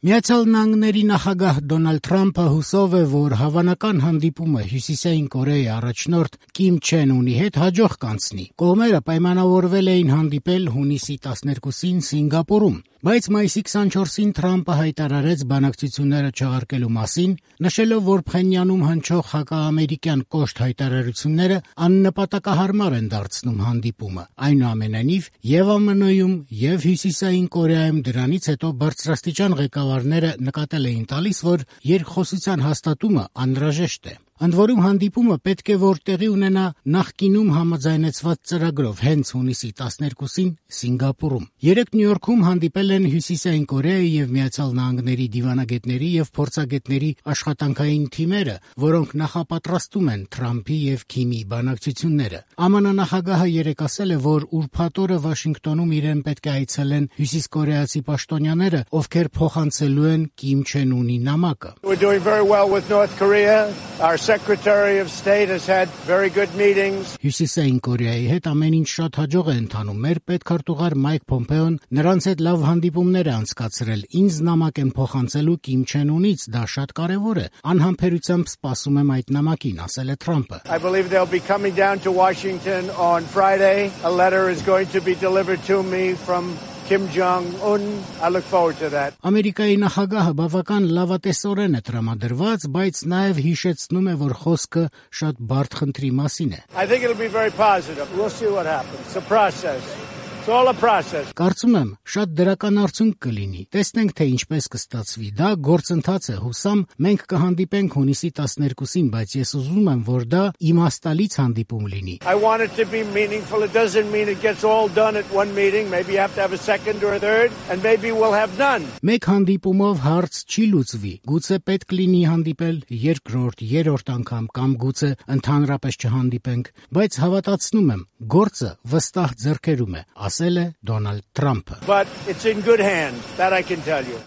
Միացյալ Նահանգների նախագահ Դոնալդ Թրամփը հուսով է, որ հավանական հանդիպումը Հյուսիսային Կորեայի առաջնորդ Կիմ Չեն Ունի հետ հաջող կանցնի։ Կողմերը պայմանավորվել էին հանդիպել հունիսի 12-ին Սինգապուրում, բայց մայիսի 24-ին Թրամփը հայտարարեց բանակցությունները չեղարկելու մասին, նշելով, որ Փխենյանում հնչող հակաամերիկյան կոշտ հայտարարությունները աննպատակահարմար են դարձնում հանդիպումը։ Այնուամենայնիվ, եւ ԱՄՆ-ում, եւ Հյուսիսային Կորեայում դրանից հետո բարձրաստիճան ղեկավարները նկատել էին տալիս, որ երկխոսության հաստատումը անհրաժեշտ է։ Ընդ որում հանդիպումը պետք է որ տեղի ունենա նախկինում համաձայնեցված ծրագրով հենց հունիսի 12-ին Սինգապուրում։ Երեկ Նյու Յորքում հանդիպել են Հյուսիսային Կորեայի եւ Միացյալ Նահանգների դիվանագետների եւ փորձագետների աշխատանքային թիմերը, որոնք նախապատրաստում են Թրամփի եւ Քիմի բանակցությունները։ ԱՄՆ նախագահը երեկ ասել է, որ ուրբաթ օրը Վաշինգտոնում իրեն պետք է այցելեն հյուսիսկորեացի պաշտոնյաները, ովքեր փոխանցելու են Կիմ Չեն Ունի նամակը։ Our Secretary of State has had very good meetings. Հյուսիսային Կորեայի հետ ամեն ինչ շատ հաջող է ընթանում։ Մեր պետքարտուղար Մայք Փոմպեոն նրանց հետ լավ հանդիպումներ է անցկացրել։ Ինձ նամակ են փոխանցելու Կիմ Չեն Ունից, դա շատ կարևոր է։ Անհամբերությամբ սպասում եմ այդ նամակին, ասել է Թրամփը։ I believe they'll be coming down to Washington on Friday. A letter is going to be delivered to me from Kim Jong-un. I look forward to that. Ամերիկայի նախագահը բավական լավատեսորեն է տրամադրված, բայց նաև հիշեցնում է, որ խոսքը շատ բարդ խնդրի մասին է։ I think it'll be very positive. We'll see what happens. It's a process. It's all a process. Կարծում եմ, շատ դրական արդյունք կլինի։ Տեսնենք, թե ինչպես կստացվի։ Դա գործընթաց է, հուսամ, մենք կհանդիպենք հունիսի 12-ին, բայց ես ուզում եմ, որ դա իմաստալից հանդիպում լինի։ I want it to be meaningful. It doesn't mean it gets all done at one meeting. Maybe you have to have a second or a third, and maybe we'll have none. Մեկ հանդիպումով հարց չի լուծվի։ Գուցե պետք լինի հանդիպել երկրորդ, երրորդ անգամ կամ գուցե ընդհանրապես չհանդիպենք, բայց հավատացնում եմ, գործը վստահ ձեռքերում է, ասել է Դոնալդ Թրամփը։ But it's in good hands, that I can tell you.